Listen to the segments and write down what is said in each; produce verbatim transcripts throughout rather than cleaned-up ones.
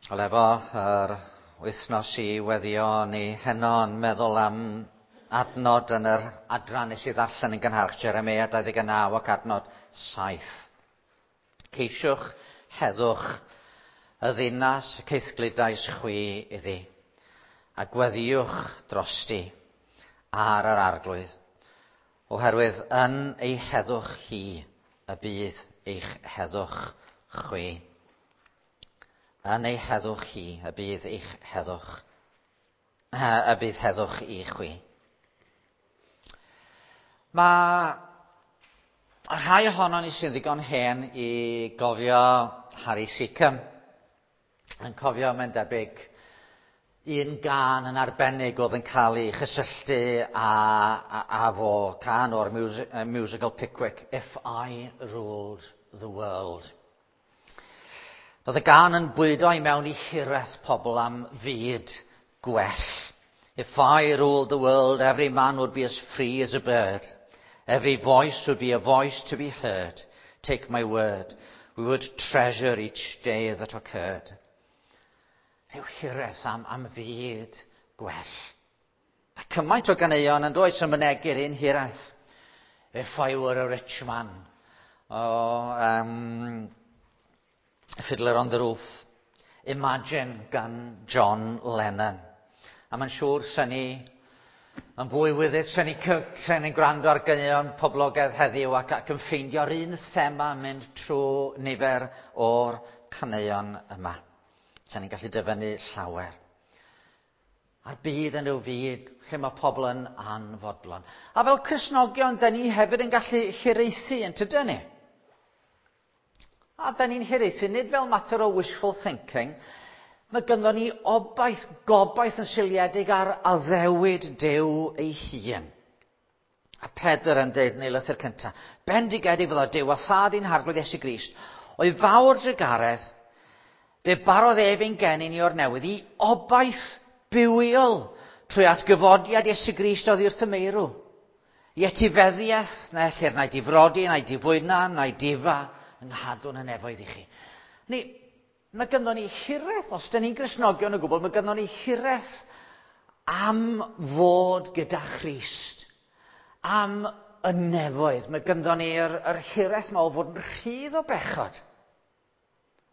Wel, efo yr wythnos i weddio ni heno yn meddwl am adnod yn yr adran nes i ddarllen yn gynharach, Jeremia dau ddeg naw ac adnod saith. Ceisiwch heddwch y ddinas y caethgludais chwi iddi, a gweddiwch drosti ar yr arglwydd, oherwydd yn ei heddwch hi y bydd eich heddwch chwi. Yn ei heddwch hi y bydd eich heddwch, y bydd heddwch i chwi. Mae rhai ohonon ni sy'n ddigon hen i gofio Harry Secombe, yn cofio mae'n debyg un gân yn arbennig oedd yn cael ei chysylltu â, â, â fo, cân o'r music, musical Pickwick, If I Ruled the World. Roedd y gân yn bwydo i mewn i hiraeth pobl am fyd gwell. If I ruled the world, every man would be as free as a bird. Every voice would be a voice to be heard. Take my word, we would treasure each day that occurred. Rhyw hiraeth am, am fyd gwell. A cymaint o ganeuon yn does yn mynegu'r un hiraeth. If I were a rich man. O, um, Fiddler on the Roof. Imagine gan John Lennon. A mae'n siŵr sy'n ni yn fwy wyddyd, sy'n ni ni'n gwrando ar ganeuon poblogaidd heddiw ac, ac yn ffeindio'r un thema yn mynd trwy nifer o'r caneuon yma. Sy'n ni'n gallu dyfynnu llawer. A'r byd yn rhyw fyd lle mae pobl yn anfodlon. A fel Cristnogion, da ni hefyd yn gallu hiraethu yn tydyn ni? A da ni'n hiraethu, nid fel mater o wishful thinking, mae gynnon ni obaith, gobaith yn seiliedig ar addewid Duw ei hun. A Pedr yn dweud yn ei lythyr cyntaf, bendigedig fyddo Duw a thad i'n harglwydd Iesu Grist, o'i fawr drugaredd, fe barodd ef ein geni ni o'r newydd i obaith bywiol trwy atgyfodiad Iesu Grist oddi wrth y meirw. I etifeddiaeth, na ellir na'i difrodi, na'i difwyna, na'i difa, yng nghadw'n y nefoedd i chi. Ni, mae gynnon ni hiraeth, os dyn ni'n Gristnogion o gwbl, mae gynnon ni hiraeth am fod gyda Christ, am y nefoedd. Mae gynnon ni'r yr hiraeth yma o fod yn rhydd o bechod,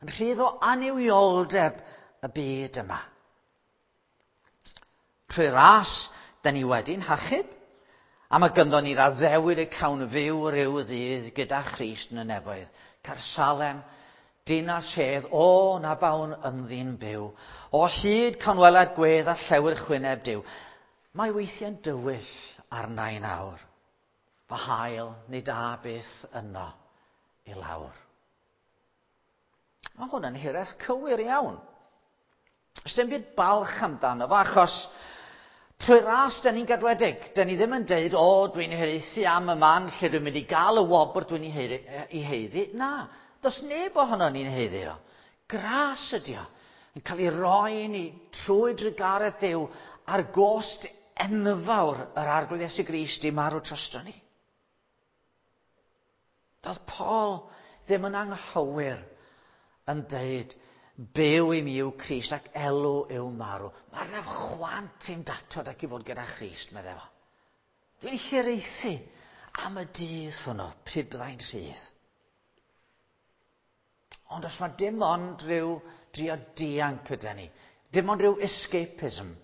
yn rhydd o annuwioldeb y byd yma. Trwy ras, dyn ni wedi'n hachub, a mae gynnon ni'r addewid y cawn fyw rhyw ddydd gyda Christ yn y nefoedd. Caersalem, dinas hedd, o na bawn ynddi'n byw. O hyd cawn weled gwedd a llewyrch wyneb Duw. Mae weithiau'n dywyll arna i nawr. Fy haul nid a byth yno i lawr. Mae hwn yn hiraeth cywir iawn. Does dim byd balch amdano fo, achos trwy ras, da ni'n gadwedig. Da ni ddim yn deud, o, dwi'n hiraethu am y man lle dwi'n mynd i gael y wobr dwi'n ei haeddu. Na, does neb ohono ni'n haeddu o. Gras ydi o. Yn cael ei roi i ni trwy drugaredd Duw ar gost enfawr yr Arglwydd Iesu Grist i marw drosto ni. Doedd Paul ddim yn anghywir yn deud, byw i mi yw Crist ac elw yw marw. Mae yna chwant i'm datod ac i fod gyda Christ, meddai fo. Dwi'n hiraethu am y dydd hwnnw, pryd byddai'n rhydd. Ond os mae dim ond rhyw drio dianc gyda ni, dim ond rhyw escapism,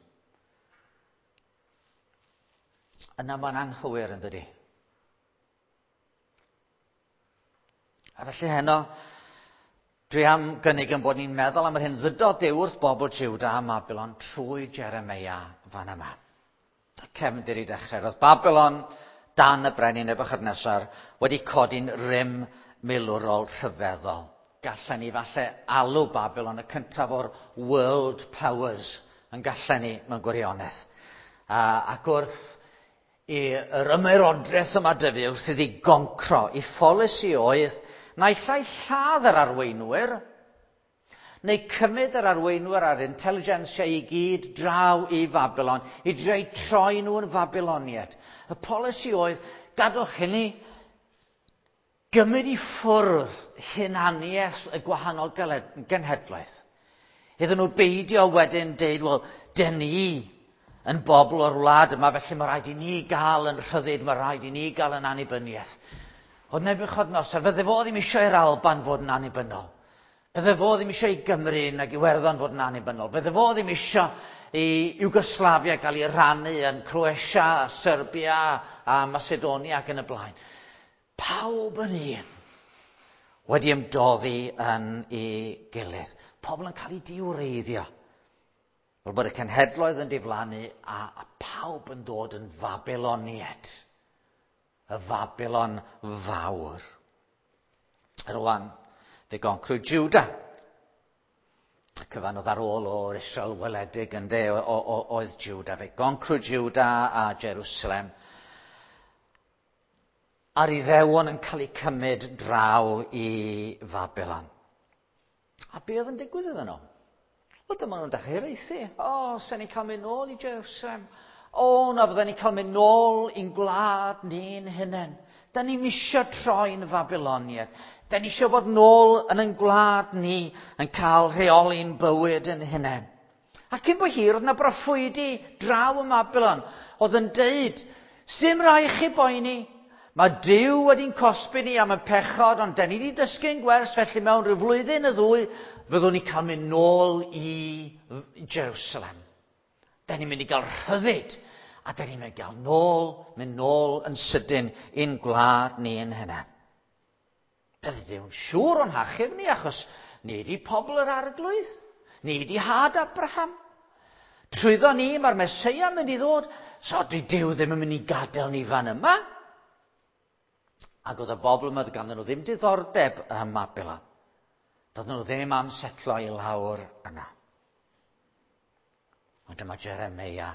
yna mae'n anghywir yn dydi. A felly heno, dwi am gynnig yn bod ni'n meddwl am yr hyn ddydodd Duw wrth bobl Juda a Babylon trwy Jeremia fan yma. Y cefndir i dechrau. Roedd Babylon dan y brenin Nebuchadnezzar wedi codi'n rym milwrol rhyfeddol. Gallen ni falle alw Babylon y cyntaf o'r world powers yn gallen ni mewn gwirionedd. A, ac wrth i'r ymerodraeth yma dyfu, wrth iddi goncro, i pholisi oedd naill ai lladd yr arweinwyr, neu cymryd yr arweinwyr a'r intelligentsia i gyd draw i Babylon, i dreu troi nhw yn Babyloniaid. Y polisi oedd, gadwch hynny, gymryd i ffwrdd hunaniaeth y gwahanol genhedlaeth. Iddyn nhw beidio wedyn deud, wel, dyn ni yn bobl o'r wlad yma, felly mae rhaid i ni gael yn rhyddid, mae rhaid i ni gael yn annibyniaeth. Oedd Nebiwchodynosor, fydde fo ddim eisiau i'r Alban fod yn annibynnol. Fydde fo ddim eisiau i Gymru nag Iwerddon fod yn annibynnol. Fydde fo ddim eisiau i Iwgoslafia gael ei rannu yn Croatia, Serbia a Macedonia ac yn y blaen. Pawb yn un wedi ymdoddi yn ei gilydd. Pobl yn cael eu diwreiddio. Fel bod y cenhedloedd yn diflannu a, a pawb yn dod yn Fabyloniaid. Y Fabilon fawr. Rwan, fe goncrwyd Juda. Y cyfan oedd ar ôl o'r Israel weledig ynde, oedd Juda. Fe goncrwyd Juda a Jerusalem. A'r Iddewon yn cael eu cymryd draw i Fabilon. A be oedd yn digwydd iddyn nhw? Wel, dyma nhw'n dechrau hiraethu. O, sen ni'n cael mynd nôl i Jerusalem. O, na fydden ni'n cael mynd nôl i'n gwlad ni'n hunain. Da ni'm isio troi'n Fabiloniaid. Da ni isio bod nôl yn ein gwlad ni yn cael rheoli'n bywyd yn hunain. A cyn bo hir, oedd yna broffwydi draw ym Mabilon oedd yn deud, sdim rhaid chi boeni. Mae Duw wedi'n cosbi ni am y pechod, ond da ni wedi dysgu'n gwers, felly mewn rhyw flwyddyn y ddwy, fyddwn ni cael mynd nôl i Jerusalem. Da ni'n mynd i gael rhyddid, a da ni'n mynd i gael nôl, mynd nôl yn sydyn i'n gwlad ni yn hynna. Bydde Duw'n siŵr o'n hachub ni, achos ni wedi pobl yr Arglwydd, ni wedi had Abraham. Trwyddo ni, mae'r Meseia yn mynd i ddod, so dwi Duw ddim yn mynd i gadael ni fan yma. Ac oedd y bobl yma ganddyn nhw ddim diddordeb ym Mabilon. Doedden nhw ddim am setlo i lawr yna. Ond dyma Jeremeia,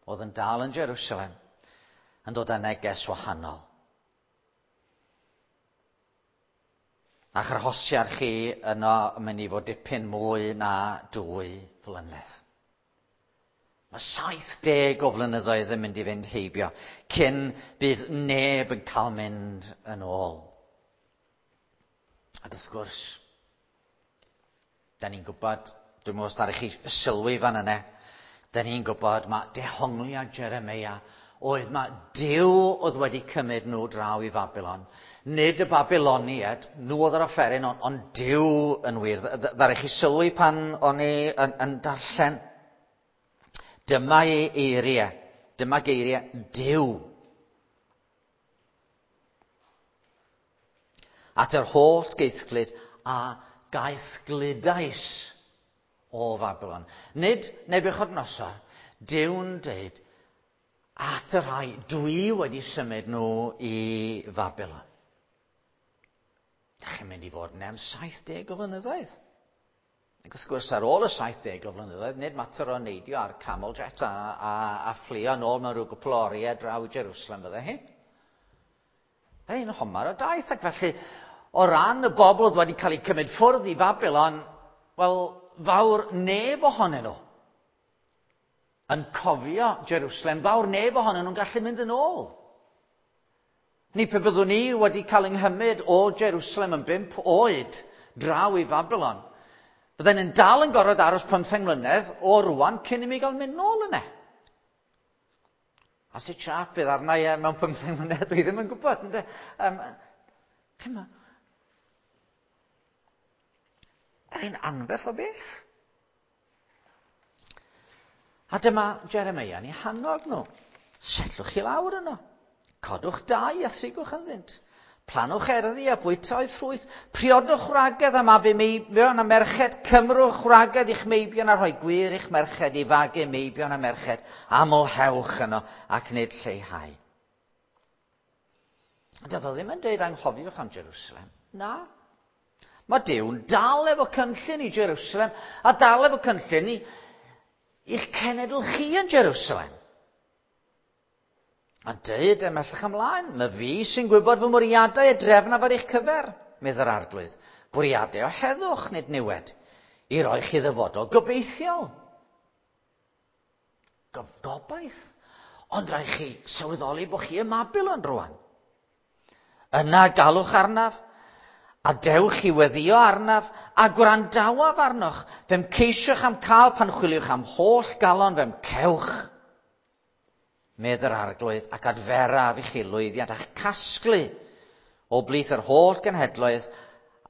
oedd yn dal yn Jerusalem, yn dod â neges wahanol. A'ch arhosiad chi yno yn mynd i fod dipyn mwy na dwy flynedd. Mae saith deg o flynyddoedd yn mynd i fynd heibio cyn bydd neb yn cael mynd yn ôl. Ac wrth gwrs, da ni'n gwybod, dwi'n meddwl os ddaru chi sylwi fan yna, da ni'n gwybod mae dehongliad Jeremeia oedd mae Duw oedd wedi cymryd nhw draw i Fabilon. Nid y Babiloniaid, nhw oedd yr offeryn, ond, ond Duw yn wir. Ddaru chi sylwi pan o'n i yn, yn darllen. Dyma ei eiriau, dyma geiriau Duw. At yr holl geithglyd a gaethgludais o Fabilon. Nid Nebiwchodynosor, Duw'n deud, at y rhai dwi wedi symud nhw i Fabilon. Dach chi'n mynd i fod yn am saith deg o flynyddoedd. Ac wrth gwrs, ar ôl y saith deg o flynyddoedd, nid mater o neidio ar camel jet a, a, a fflio nôl mewn rhyw gwpl o oriau draw i Jerusalem fydde hi. Ein homar o daith, ac felly, o ran y bobl oedd wedi cael eu cymryd ffwrdd i Fabilon, wel, fawr neb ohonyn nhw yn cofio Jerusalem, fawr neb ohonyn nhw'n gallu mynd yn ôl. Ni pe byddwn ni wedi cael yng nghymryd o Jerusalem yn bump oed draw i Fabilon, bydden ni'n dal yn gorfod aros pymtheng mlynedd o rwan cyn i mi gael mynd nôl yna. A sut siâp fydd arna i mewn pymtheng mlynedd, dwi ddim yn gwybod. Ynde? Um, Chimod, yr un anferth o beth. A dyma Jeremeia yn eu hannog nhw. Setlwch chi lawr yno. Codwch dai a thrigwch ynddynt. Planwch erddi a bwyta o'u ffrwyth. Priodwch wragedd a mabu meibion a merched. Cymrwch wragedd i'ch meibion a rhoi gwir i'ch merched i fagu meibion a merched. Amlhewch yno ac nid lleihau. Doedd o ddim yn deud anghofiwch am Jerusalem. Na. Mae Duw'n dal efo cynllun i Jerusalem a dal efo cynllun i i'ch cenedl chi yn Jerusalem. A dweud ymhellach ymlaen, mae fi sy'n gwybod fy mwriadau y drefn ar eich cyfer, medd yr Arglwydd. Bwriadau o heddwch, nid niwed, i roi chi ddyfodol gobeithiol. Gobaith. Ond rhaid chi sylweddoli bod chi ym Mabilon rwan. Yna galwch arnaf, A dewch i weddio arnaf a gwrandawaf arnoch. Fe'm ceisiwch am cael pan chwiliwch am holl galon, fe'm cewch. Medd yr Arglwydd, ac adferaf i chi lwyddiant a'ch casglu o blith yr holl genhedloedd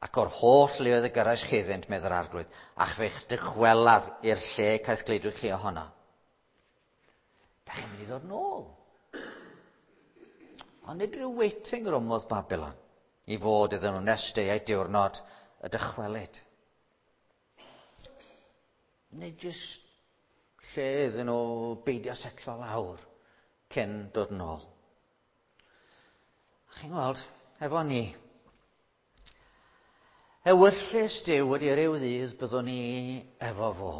ac o'r holl leoedd y gyrraes chi iddynt, medd yr Arglwydd, ac fe'ch dychwelaf i'r lle caeth gleidwyr chi ohono. Da chi'n mynd i ddod nôl. Ond nid rhyw waiting room oedd Babylon i fod iddyn nhw nes deuai diwrnod y dychwelyd. Nid jyst lle iddyn nhw beidio setlo lawr cyn dod yn ôl. Chi'n gweld, efo ni, ewyllys Duw wedi ryw ddydd byddwn ni efo fo.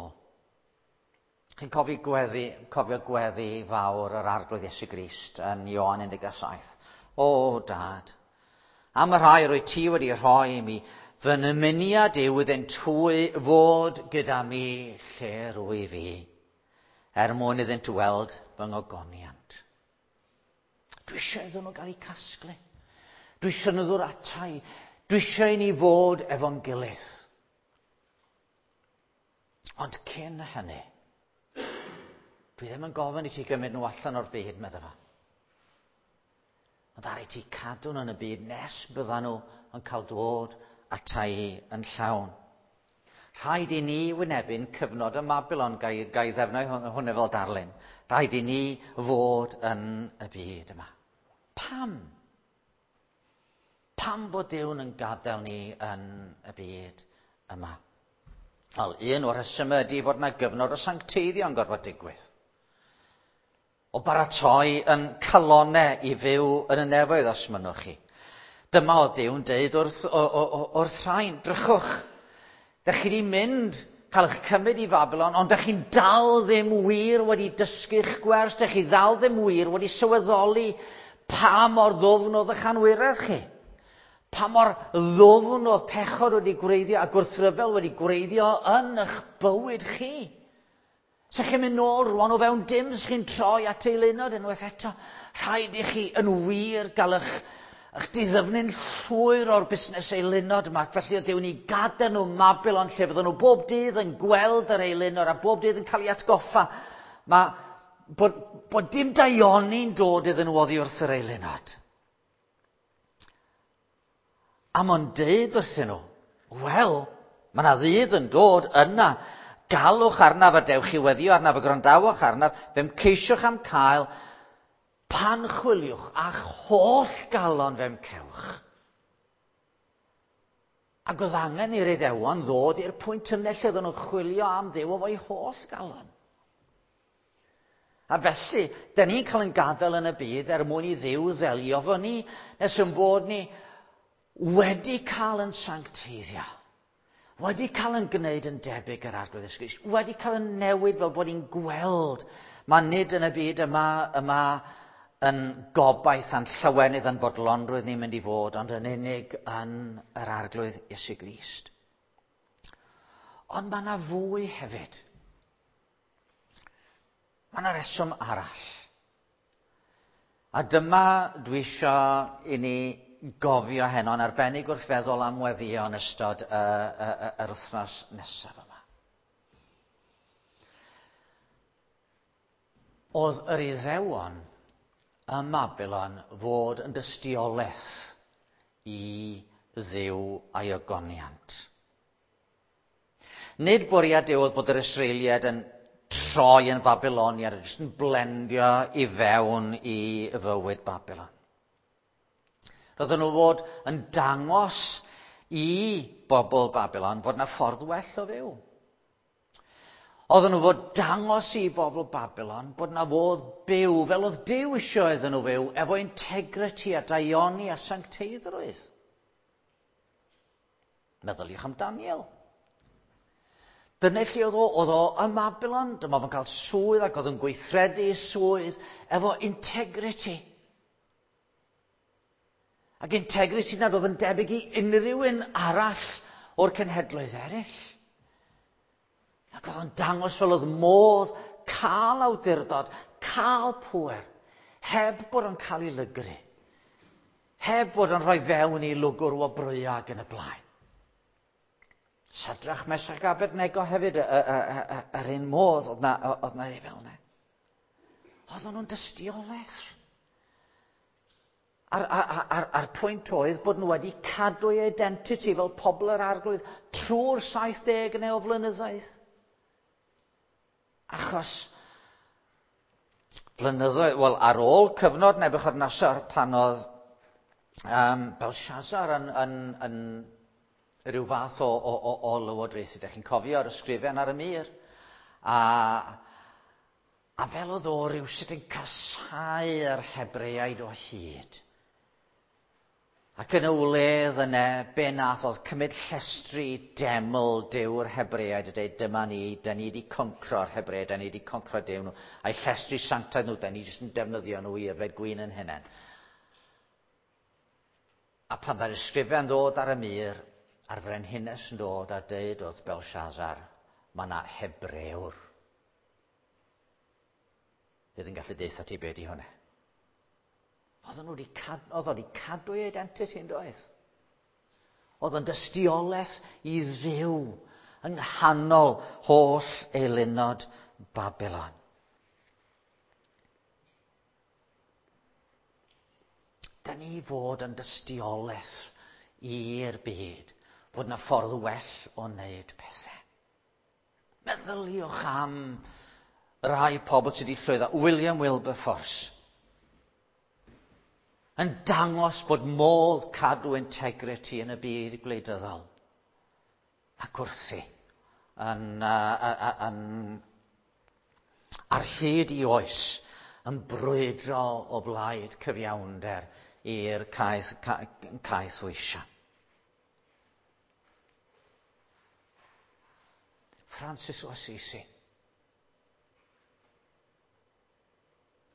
Chi'n cofio gweddi, cofio gweddi fawr yr Arglwydd Iesu Grist yn Ioan un deg saith. O, Dad, am y rhai rwy ti wedi rhoi i mi, fy nymuniad yw iddynt hwy fod gyda mi lle rwy fi, er mwyn iddynt weld fy ngogoniant. Dwi eisiau iddyn nhw gael eu casglu. Dwi eisiau nhw ddod ata i. Dwi eisiau i ni fod efo'n gilydd. Ond cyn hynny, dwi ddim yn gofyn i ti gymryd nhw allan o'r byd, medda fo. Ond ar i ti cadw nhw yn y byd nes byddan nhw yn cael dod ata i yn llawn. Rhaid i ni wynebu'n cyfnod y Babylon, gai, gai ddefnyddio hwnna fel darlun. Rhaid i ni fod yn y byd yma. Pam? Pam bod Duw'n yn gadael ni yn y byd yma? Wel, un o'r rhesymau ydy fod yna gyfnod o sancteiddio yn gorfod digwydd. O baratoi yn calonau i fyw yn y nefoedd os mynnwch chi. Dyma oedd Duw'n deud wrth, o, o, o, wrth rhain, drychwch. Dych chi wedi mynd, cael eich cymryd i Babylon, ond dych chi'n dal ddim wir wedi dysgu'ch gwers, dych chi ddal ddim wir wedi sylweddoli pa mor ddwfn oedd eich anwiredd chi. Pa mor ddwfn oedd pechod wedi gwreiddio a gwrthryfel wedi gwreiddio yn eich bywyd chi. Sa chi'n mynd nôl rwan o fewn dim, sa chi'n troi at eilunod unwaith eto. Rhaid i chi yn wir gael eich, eich diddyfnu'n llwyr o'r busnes eilunod yma. Ac felly oedd Duw'n i gadael nhw Babylon lle fydden nhw bob dydd yn gweld yr eilunod a bob dydd yn cael ei atgoffa. Mae bod, bod dim daioni'n dod iddyn nhw oddi wrth yr eilunod. A mae'n deud wrthyn nhw, wel, mae yna ddydd yn dod yna. Galwch arnaf a dewch i weddio arnaf a gwrandawch arnaf, fe'm ceisiwch am cael, pan chwiliwch a'ch holl galon fe'm cewch. Ac oedd angen i'r Iddewon ddod i'r pwynt yna lle oedden nhw'n chwilio am Dduw efo'i holl galon. A felly, da ni'n cael yn gadael yn y byd er mwyn i Dduw ddelio fo ni, nes yn bod ni wedi cael yn sancteiddio. Wedi cael yn gwneud yn debyg yr Arglwydd Iesu Grist, wedi cael yn newid fel bod ni'n gweld. Mae nid yn y byd yma, yma yn gobaith a'n llawenydd a'n bodlonrwydd ni'n mynd i fod, ond yn unig yn yr Arglwydd Iesu Grist. Ond mae yna fwy hefyd. Mae yna reswm arall. A dyma dwi eisiau i ni gofio heno yn arbennig wrth feddwl am weddio yn ystod y, y, y, yr wythnos nesaf yma. Oedd yr Iddewon ym Babylon fod yn dystiolaeth i Dduw a'i ogoniant. Nid bwriad Duw oedd bod yr Israeliaid yn troi yn Babyloniad, jyst yn blendio i fewn i fywyd Babylon. Roedden nhw fod yn dangos i bobl Babylon fod yna ffordd well o fyw. Oedden nhw fod dangos i bobl Babylon bod yna fodd byw fel oedd Duw eisiau iddyn nhw fyw efo integrity a daioni a sancteiddrwydd. Meddyliwch am Daniel. Dyna lle oedd o, oedd o ym Babylon, dyma fo'n cael swydd ac oedd yn gweithredu swydd efo integrity. Ac integrity nad oedd yn debyg i unrhyw un arall o'r cenhedloedd eraill. Ac oedd o'n dangos fel oedd modd cael awdurdod, cael pŵer, heb bod o'n cael ei lygru, Heb fod yn rhoi fewn i lwgwr wobrwyo ac yn y blaen. Sadrach, Mesach ac Abednego hefyd, yr un modd, oedd na, oedd na fel yna. Oedden nhw'n dystiolaeth. A'r, ar, ar, ar pwynt oedd bod nhw wedi cadw eu identity fel pobl yr Arglwydd trwy'r saith deg neu o flynyddoedd. Achos blynyddoedd, wel, ar ôl cyfnod Nebuchadnezzar pan oedd um, Belshazzar yn, yn, yn rhyw fath o, o, o, o lywodraethu. Dych chi'n cofio'r ysgrifen ar y mur. A, a fel oedd o rhywsut yn casáu'r Hebreaid o hyd. Ac yn y wledd yna, be nath oedd cymryd llestri deml Duw'r Hebreaid a dweud, "Dyma ni, da ni wedi concro'r Hebreaid, da ni wedi concro Duw nhw. A'i llestri sanctaidd nhw, da ni jyst yn defnyddio nhw i yfed gwin yn hunain." A pan dda'r ysgrifen ddod ar y mur, a'r frenhines yn dod a deud wrth Belshazzar, "Mae yna Hebrewr fydd yn gallu deutha ti be di hwnna." Oedden nhw wedi cad, oedd wedi cadw ei identity, yn doedd? Oedd yn dystiolaeth i Dduw yng nghanol holl eilunod Babylon. Da ni fod yn dystiolaeth i'r byd bod yna ffordd well o wneud pethau. Meddyliwch am rai pobl sydd wedi llwyddo. William Wilberforce yn dangos bod modd cadw integrity yn y byd gwleidyddol. Ac wrthi yn, uh, yn, ar hyd i oes yn brwydro o blaid cyfiawnder i'r caeth, caeth weisiau. Francis o Assisi.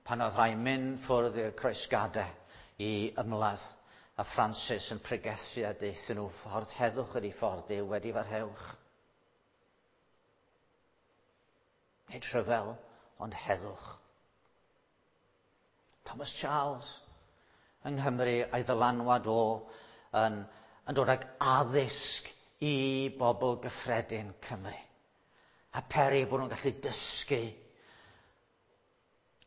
Pan oedd rhai mynd ffwrdd i'r croesgadau i ymladd, a Francis yn pregethu a deuthyn nhw, "Ffordd heddwch ydy ffordd Duw, wedi farhewch. Nid rhyfel, ond heddwch." Thomas Charles yng Nghymru a'i ddylanwad o yn, yn dod ag addysg i bobl gyffredin Cymru. A peri bod nhw'n gallu dysgu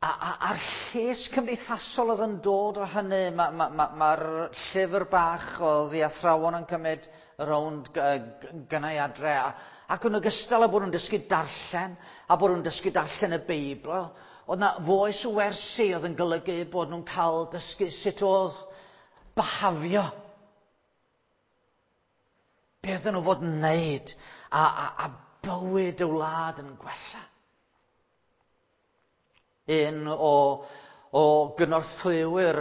A, a, a'r lles cymdeithasol oedd yn dod o hynny, mae'r ma, ma, ma llyfr bach oedd i athrawon yn cymryd rownd gynnau adre, a, ac yn ogystal â bod nhw'n dysgu darllen, a bod nhw'n dysgu darllen y Beibl, oedd na foes o wersi oedd yn golygu bod nhw'n cael dysgu sut oedd behafio. Beth oedden nhw fod yn wneud, a, a, a bywyd y wlad yn gwella. Un o, o gynorthwywyr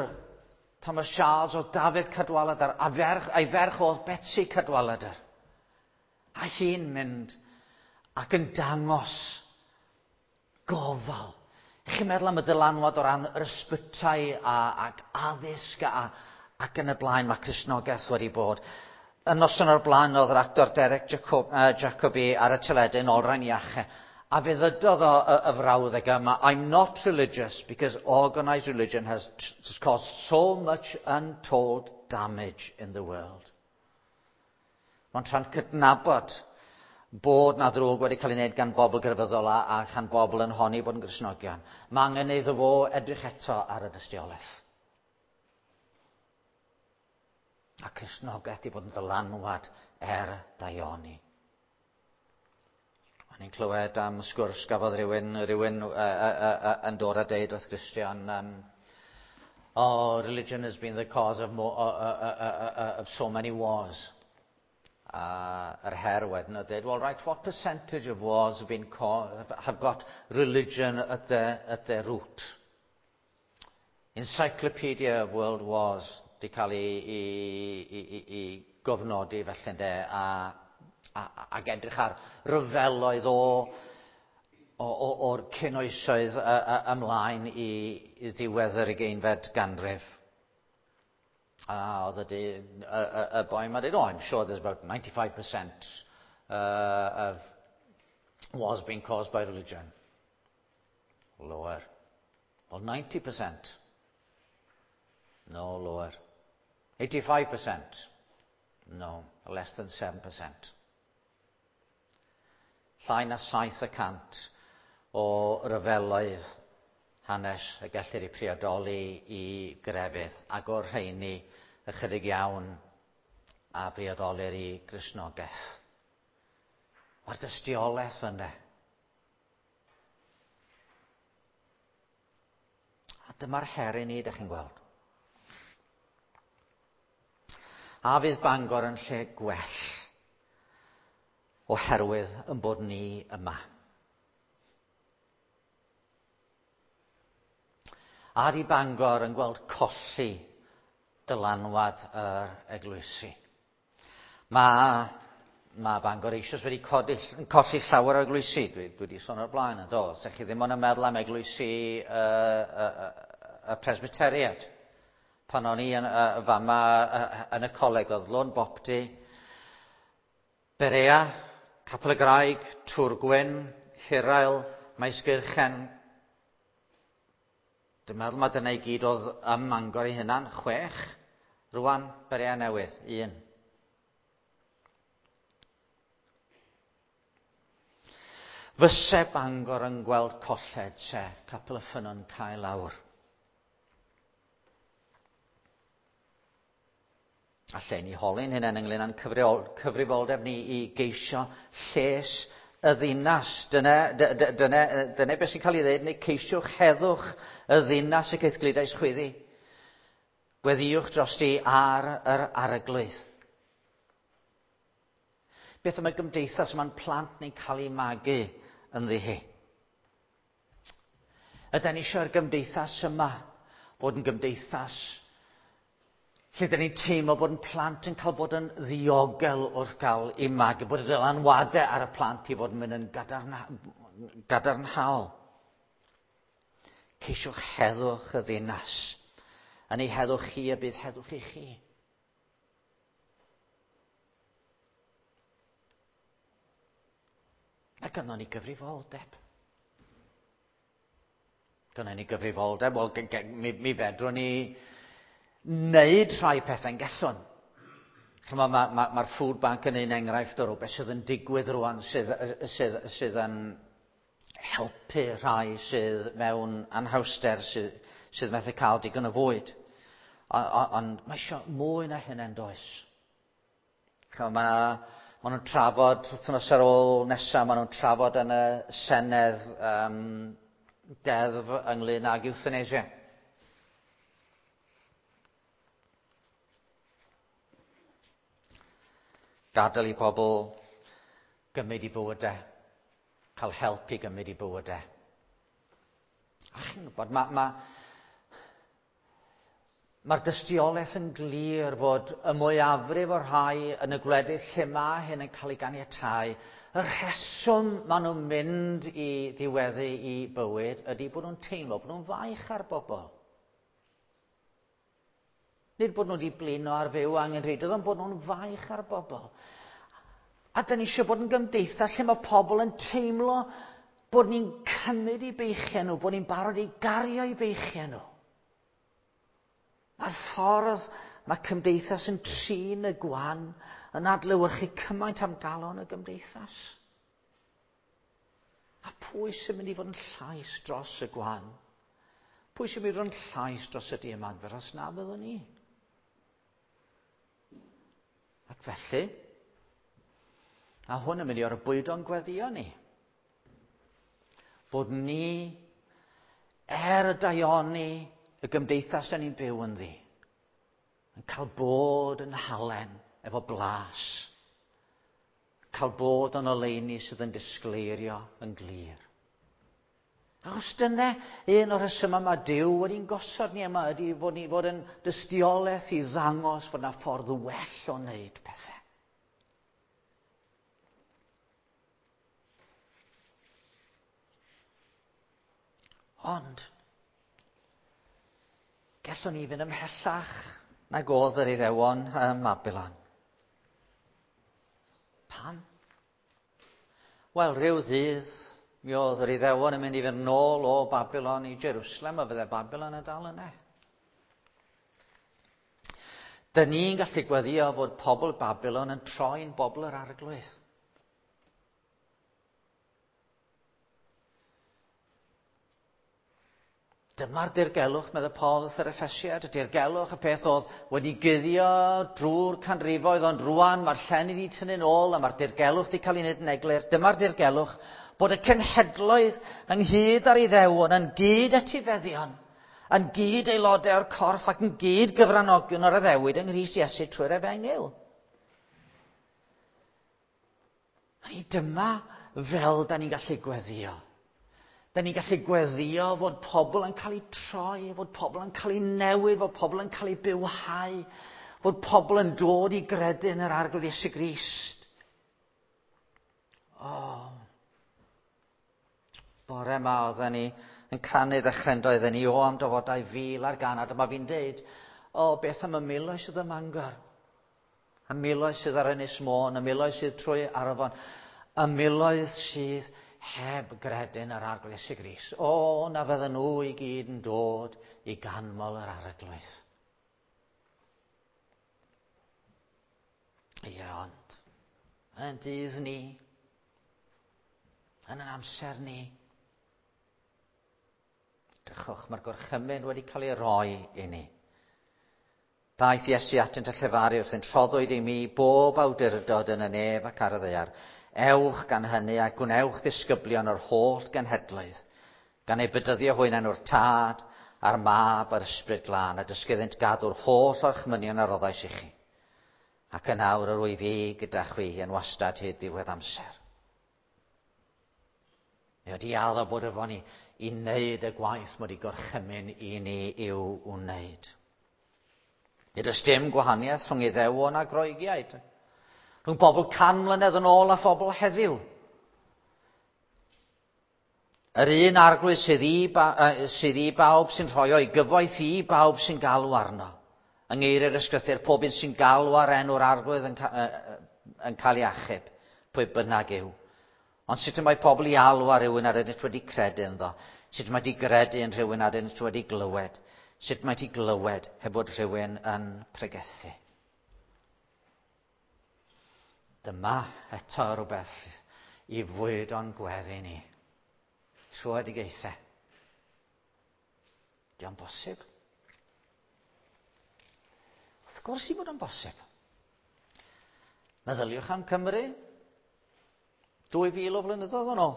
Thomas Charles oedd Dafydd Cadwaladr, a ferch, a'i ferch oedd Betsi Cadwaladr. A hi'n mynd ac yn dangos gofal. Chi'n meddwl am y dylanwad o ran yr ysbytai a, ac addysg a, ac yn y blaen mae Cristnogaeth wedi bod. Y noson o'r blaen oedd yr actor Derek Jacob, uh, Jacobi ar y teledu yn olrhain iachau. A fe ddydodd o y, y frawddeg yma, "I'm not religious because organised religion has, has caused so much untold damage in the world." Mae'n tra'n cydnabod bod na ddrwg wedi cael ei wneud gan bobl grefyddol a, a chan bobl yn honni bod yn Gristnogion. Mae angen iddo fo edrych eto ar y dystiolaeth. A Cristnogaeth wedi bod yn ddylanwad er daioni. O'n i'n clywed am sgwrs gafodd rhywun, rhywun uh, uh, uh, yn dod a deud wrth Christian, um, "Oh, religion has been the cause of, more, uh, uh, uh, uh, of so many wars." A yr her wedyn oedd dweud, "Well, right, what percentage of wars have, been have got religion at their, at their root?" Encyclopedia of World Wars di cael ei, ei, ei, ei, ei gofnodi felly ynde, a a, ac edrych ar ryfeloedd o, o, o, o'r cynoesoedd ymlaen i, i ddiwedd yr ugeinfed ganrif. A oedd y, y, y, y boi yma dweud, "Oh, I'm sure there's about ninety-five percent uh, of wars being caused by religion." "Lower." "Well, ninety percent." "No, lower." eighty-five percent? No, less than seven percent. Llai na saith y cant o ryfeloedd hanes y gellir eu priodoli i grefydd, ac o'r rheini ychydig iawn a briodolir i Gristnogaeth. Mae'r dystiolaeth yna. A dyma'r her i ni, dych chi'n gweld. A fydd Bangor yn lle gwell oherwydd yn bod ni yma? A di Bangor yn gweld colli dylanwad yr eglwysi? Mae, mae Bangor eisoes wedi codi, colli llawer o eglwysi. Dwi, dwi wedi sôn o'r blaen yn do. Os ydych chi ddim ond yn meddwl am eglwysi y, y, y, y Presbyteriad. Pan o'n i yn, uh, fama uh, yn y coleg oedd Lôn Bopty, Berea, Capel y Graig, Tŵr Gwyn, Hirael, Maesgeirchen. Dwi'n meddwl mae dyna i gyd oedd ym Mangor ei hunan, chwech. Rwan, Berea Newydd, un. Fyse Bangor yn gweld colled se Capel y Ffynnon cael lawr. A lle ni holi'n hynny ynglyn â'n cyfrifoldeb ni i geisio lles y ddinas. Dyna, dyna, dyna beth sy'n cael ei ddweud, neu ceisiwch heddwch y ddinas y caethgludais chwyddi. Gweddïwch drosti ar yr arglwydd. Beth am y gymdeithas mae'n plant ni'n cael ei magu ynddi hi? Ydan ni eisiau'r gymdeithas yma fod yn gymdeithas lle dyn ni'n teimlo bod yn plant yn cael bod yn ddiogel wrth gael eu magu, bod y dylanwadau ar y plant i fod yn mynd yn gadarnha, gadarnhaol. Ceisiwch heddwch y ddinas. Yn ei heddwch chi y bydd heddwch i chi. Mae gynnon ni gyfrifoldeb. Gynnon ni gyfrifoldeb. Wel, mi, mi fedrwn ni wneud rhai pethau'n gallwn. Mae'r ma, ma, ma food bank yn un enghraifft o rhywbeth sydd yn digwydd rwan, sydd, sydd, sydd yn helpu rhai sydd mewn anhawster, sydd, sydd methu cael digon o fwyd. Ond mae eisiau mwy na hynny yn does. Mae ma nhw'n trafod, wythnos ar ôl nesaf, maen nhw'n trafod yn y Senedd um, deddf ynglyn ag euthanasia. Gadael i pobl gymryd i bywydau, cael help i gymryd i bywydau. A chi'n gwybod, mae'r ma, ma dystiolaeth yn glir fod y mwyafrif o'r rhai yn y gwledydd lle mae hyn yn cael ei ganiatáu, y rheswm maen nhw'n mynd i ddiweddu i bywyd ydy bod nhw'n teimlo bod nhw'n faich ar bobl. Nid bod nhw wedi blino ar fyw angenrheidiol, ond bod nhw'n faich ar bobl. A dyn ni eisiau bod yn gymdeithas lle mae pobl yn teimlo bod ni'n cymryd i beichiau nhw, bod ni'n barod i gario i beichiau nhw. Mae'r ffordd mae cymdeithas yn trin y gwan yn adlewyrchu cymaint am galon y gymdeithas. A pwy sy'n mynd i fod yn llais dros y gwan? Pwy sy'n mynd i fod yn llais dros y diymadferth os na fyddwn ni? Ac felly, a hwn yn mynd i orbwydo'n gweddio ni, bod ni, er y daioni, y gymdeithas da ni'n byw ynddi, yn cael bod yn halen efo blas, cael bod yn oleuni sydd yn disgleirio yn glir. Achos dyna un o'r rhesymau mae Duw wedi'n gosod ni yma ydy fod ni fod yn dystiolaeth i ddangos fod yna ffordd well o wneud pethau. Ond, gallwn ni fynd ymhellach nag oedd yr Iddewon ym Mabilon. Pam? Wel, rhyw ddydd, mi oedd yr Iddewon yn mynd i fynd nôl o Babilon i Jerusalem, a fydde Babilon yn dal yna. Dyn ni'n gallu gweddio fod pobl Babylon yn troi'n bobl yr Arglwydd. Dyma'r dirgelwch, meddai Paul wrth yr Effesiad, y dirgelwch, y peth oedd wedi guddio drwy'r canrifoedd, ond rwan mae'r llen wedi tynnu'n ôl a mae'r dirgelwch wedi cael ei wneud yn eglur. Dyma'r dirgelwch bod y cenhedloedd ynghyd â'r Iddewon yn gyd etifeddion, yn gyd aelodau o'r corff ac yn gyd gyfranogion o'r addewid yng Nghrist Iesu trwy'r Efengyl. A ni dyma fel da ni'n gallu gweddio. Da ni'n gallu gweddio fod pobl yn cael eu troi, fod pobl yn cael eu newid, fod pobl yn cael eu bywhau, fod pobl yn dod i gredu yn yr Arglwydd Iesu Grist. Oh. Bore yma oedden ni yn canu ddechrau oedden ni o am dyfodau fil ar gan, a dyma fi'n deud, o, beth am y miloedd sydd ym Mangor? Y miloedd sydd ar Ynys Môn, y miloedd sydd trwy Arfon, y miloedd sydd heb gredu yn yr Arglwydd Iesu Grist. O, na fydden nhw i gyd yn dod i ganmol yr Arglwydd. Ie, ond, yn ein dydd ni, yn ein amser ni, drychwch, mae'r gorchymyn wedi cael ei roi i ni. Daeth Iesu atynt a llefaru wrthynt, rhoddwyd i mi bob awdurdod yn y nef ac ar y ddaear. Ewch gan hynny a gwnewch ddisgyblion o'r holl genhedloedd, gan eu bedyddio hwy yn enw'r Tad a'r Mab a'r Ysbryd Glân, a dysgu iddynt gadw'r holl orchmynion a roddais i chi. Ac yn awr yr wyf fi gyda chwi yn wastad hyd ddiwedd amser. Mae wedi addo bod efo ni i wneud y gwaith mae wedi gorchymyn i ni i'w wneud. Nid oes dim gwahaniaeth rhwng Iddewon a Groegiaid, rhwng bobl can mlynedd yn ôl a phobl heddiw. Yr un Arglwydd sydd i, ba, sydd i bawb sy'n rhoi o'i gyfoeth i bawb sy'n galw arno. Yng ngeiriau'r Ysgrythur, pob un sy'n galw ar enw'r Arglwydd yn, ca, yn cael ei achub, pwy bynnag yw. Ond sut y mae pobl i alw ar rhywun ar ydynt wedi credu ynddo? Sut mae wedi gredu yn rhywun ar ydynt wedi glywed? Sut mae wedi glywed heb fod rhywun yn pregethu? Dyma eto rhywbeth i fwyd o'n gweddi ni. Tröedigaethau. Di o'n bosib? Wrth gwrs i fod o'n bosib. Meddyliwch am Cymru. Dwy fil o flynyddoedd yn ôl.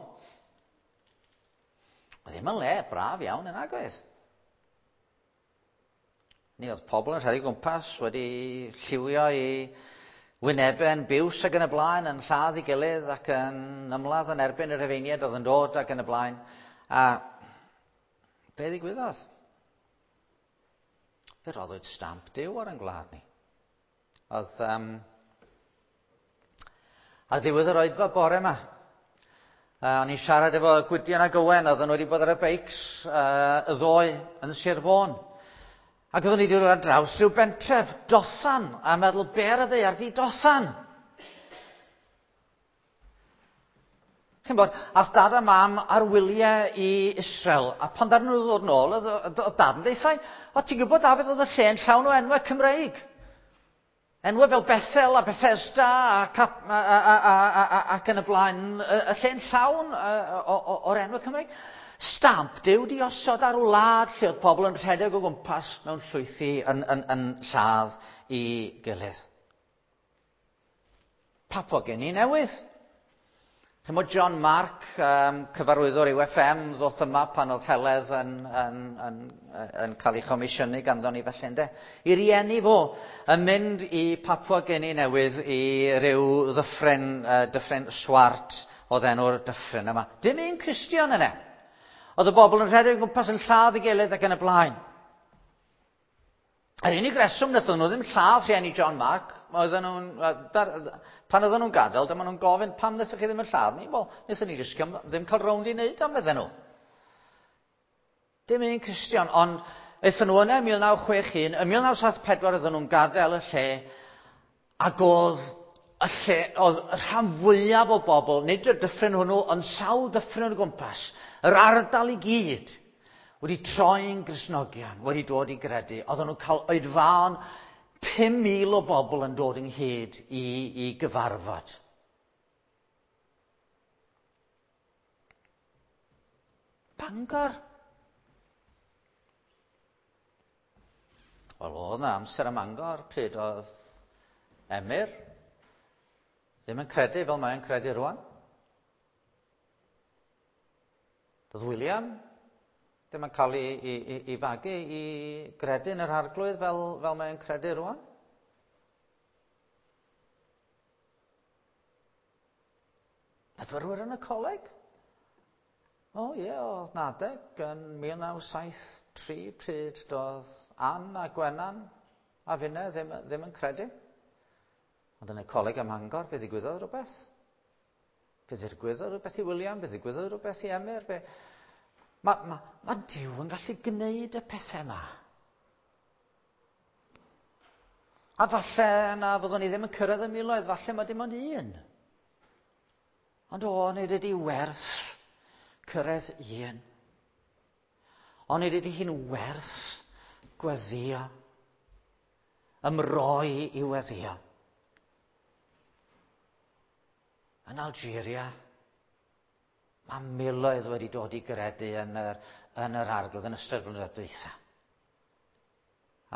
Oedd ddim yn le braf iawn yn agwedd. Ni oedd pobl yn rhedeg gwmpas wedi lliwio i wynebau yn biws ac yn y blaen, yn lladd i gilydd ac yn ymladd yn erbyn y Rhufeiniaid oedd yn dod ac yn y blaen. A be ddigwyddodd? Fe roddwyd stamp Duw ar ein gwlad ni. Oedd um, ar ddiwedd yr oedfa bore yma, uh, o'n i'n siarad efo Gwydion ac Owen, oedden nhw wedi bod ar y beics uh, y ddoe yn Sir Fôn. Ac oeddwn ni wedi dod ar draws rhyw bentref, Dothan, a meddwl, be ar y ddaear di Dothan? Chi'n bod, ath dad a mam ar wyliau i Israel, a pan ddaru nhw ddod nôl, oedd dad yn deithau, o ti'n gwybod Dafydd, oedd y lle'n llawn o enwau Cymreig. Enwau fel Bethel a Bethesda a, Cap, a, a, a, a, a, ac yn y blaen, y lle'n llawn o'r enwau Cymreig. Stamp Duw di osod ar wlad lle oedd pobl yn rhedeg o gwmpas mewn llwythi yn, yn, yn lladd i gilydd. Papua Guinea Newydd. Chimod John Mark, um, cyfarwyddwr U F M, ddoth yma pan oedd Heledd yn, yn, yn, yn cael ei chomisiynu ganddo ni felly, ynde. I rieni fo yn mynd i Papua Guinea Newydd i ryw ddyffryn, uh, dyffryn Swart oedd enw'r dyffryn yma. Dim un Cristion yna. Oedd y bobl yn rhedeg o gwmpas yn lladd i gilydd ac yn y blaen. Yr unig reswm wnaethon nhw ddim lladd rhieni John Mark, oedden nhw'n, pan oedden nhw'n gadael, dyma nhw'n gofyn, pam wnaethoch chi ddim yn lladd ni? Wel, wnaethon ni jyst ddim cael rownd i wneud am medden nhw. Dim un Cristion, ond aethon nhw yna ym mil naw chwech un, ym mil naw saith pedwar oedden nhw'n gadael y lle, ac oedd y lle, oedd y rhan fwyaf o bobl, nid y dyffryn hwnnw, ond sawl dyffryn o gwmpas, yr ardal i gyd, wedi troi'n Gristnogion, wedi dod i gredu. Oedden nhw'n cael oedfaon pum mil o bobl yn dod ynghyd i, i gyfarfod. Bangor. Wel, oedd yna amser ym Mangor pryd oedd Emyr ddim yn credu fel mae'n credu rwan. Doedd William ddim yn cael ei, ei, ei, ei fagu i gredu yn yr Arglwydd fel, fel mae'n credu rwan. Myfyrwyr yn y coleg? O ie, oedd 'na adeg yn mil naw saith tri pryd doedd Ann a Gwenan a finne ddim, ddim yn credu. Ond yn y coleg ym Mangor, fe ddigwyddodd rhywbeth. Fe ddigwyddodd rhywbeth i William, fe ddigwyddodd rhywbeth i Emyr. Fe... Mae ma, ma Duw yn gallu gwneud y pethau yma. A falle na fyddwn ni ddim yn cyrraedd y miloedd, falle mae dim ond un. Ond o, nid ydi werth cyrraedd un. Ond nid ydi hi'n werth gweddio, ymroi i weddio. Yn Algeria, mae miloedd wedi dod i gredu yn yr, yn yr Arglwydd yn ystod blynyddoedd dwytha.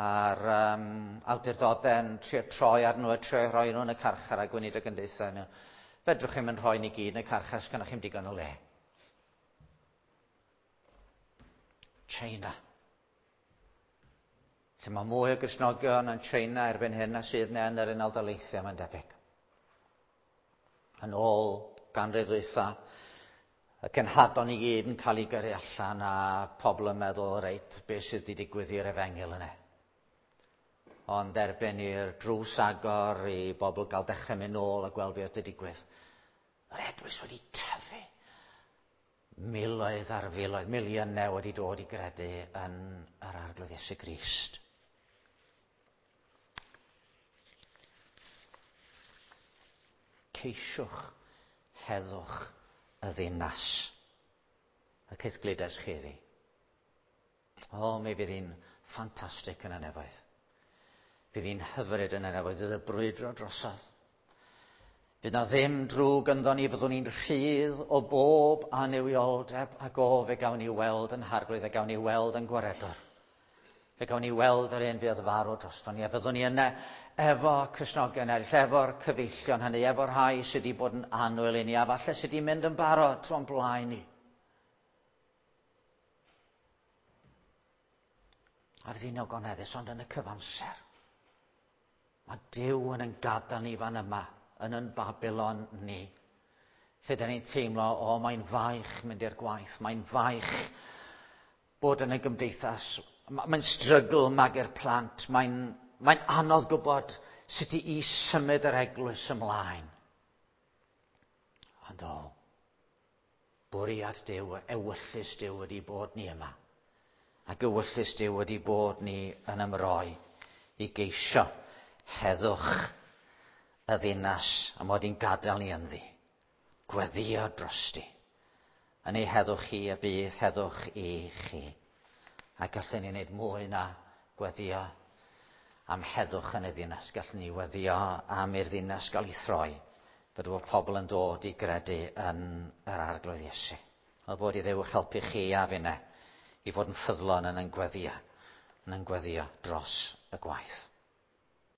A'r um, awdurdodau'n trio troi ar nhw a trio rhoi nhw yn y carchar a gweinidog yn deutha nhw. Fedrwch chi'm yn rhoi ni gyd yn y carchar, sgynnoch chi'm digon o le. China. Lle mae mwy o Gristnogion yn China erbyn hyn na sydd yn yr Unol Daleithiau, mae'n debyg. Yn ôl ganrif ddwytha, y cenhadon i gyd yn cael ei gyrru allan a pobl yn meddwl, reit, beth sydd wedi digwydd i'r efengyl yna. Ond erbyn i'r drws agor i bobl gael dechrau mynd nôl a gweld beth wedi digwydd, yr eglwys wedi tyfu. Miloedd ar filoedd, miliynau wedi dod i gredu yn yr Arglwydd Iesu Grist. Ceisiwch heddwch y ddinas. Y caethgludes chi iddi. O, mi fydd hi'n ffantastig yn y nefoedd. Fydd hi'n hyfryd yn y nefoedd, fydd y brwydro drosodd. Fydd na ddim drwg ynddo ni, fyddwn ni'n rhydd o bob annuwioldeb ac o, fe gawn ni weld yn Harglwydd, fe gawn ni weld yn Gwaredwr. Fe gawn ni weld yr un fuodd farw drosto ni, a fyddwn ni yna efo Cristnogion eraill, efo'r cyfeillion hynny, efo'r rhai sydd wedi bod yn annwyl i ni, a falle sydd wedi mynd yn barod o'n blaen ni. A fydd hi'n ogoneddus, ond yn y cyfamser. Mae Duw yn ein gadael ni fan yma, yn yn Babylon ni. Lle da ni'n teimlo, o, mae'n faich mynd i'r gwaith, mae'n faich bod yn y gymdeithas, mae'n strygl magu'r plant, mae'n mae'n anodd gwybod sut i symud yr eglwys ymlaen. Ond o, bwriad Duw, ewyllys Duw wedi bod ni yma. Ac ewyllys Duw wedi bod ni yn ymroi i geisio heddwch y ddinas a mod i'n gadael ni ynddi. Gweddio drosti. Yn ei heddwch chi y bydd heddwch i chi. A gallwn ni wneud mwy na gweddio am heddwch yn y ddinas. Gallwn ni weddio am i'r ddinas gael ei throi. Fod bod pobl yn dod i gredu yn yr Arglwydd Iesu. Oedd bod i Dduw helpu chi a finne i fod yn ffyddlon yn ein gweddio, yn ein gweddio dros y gwaith.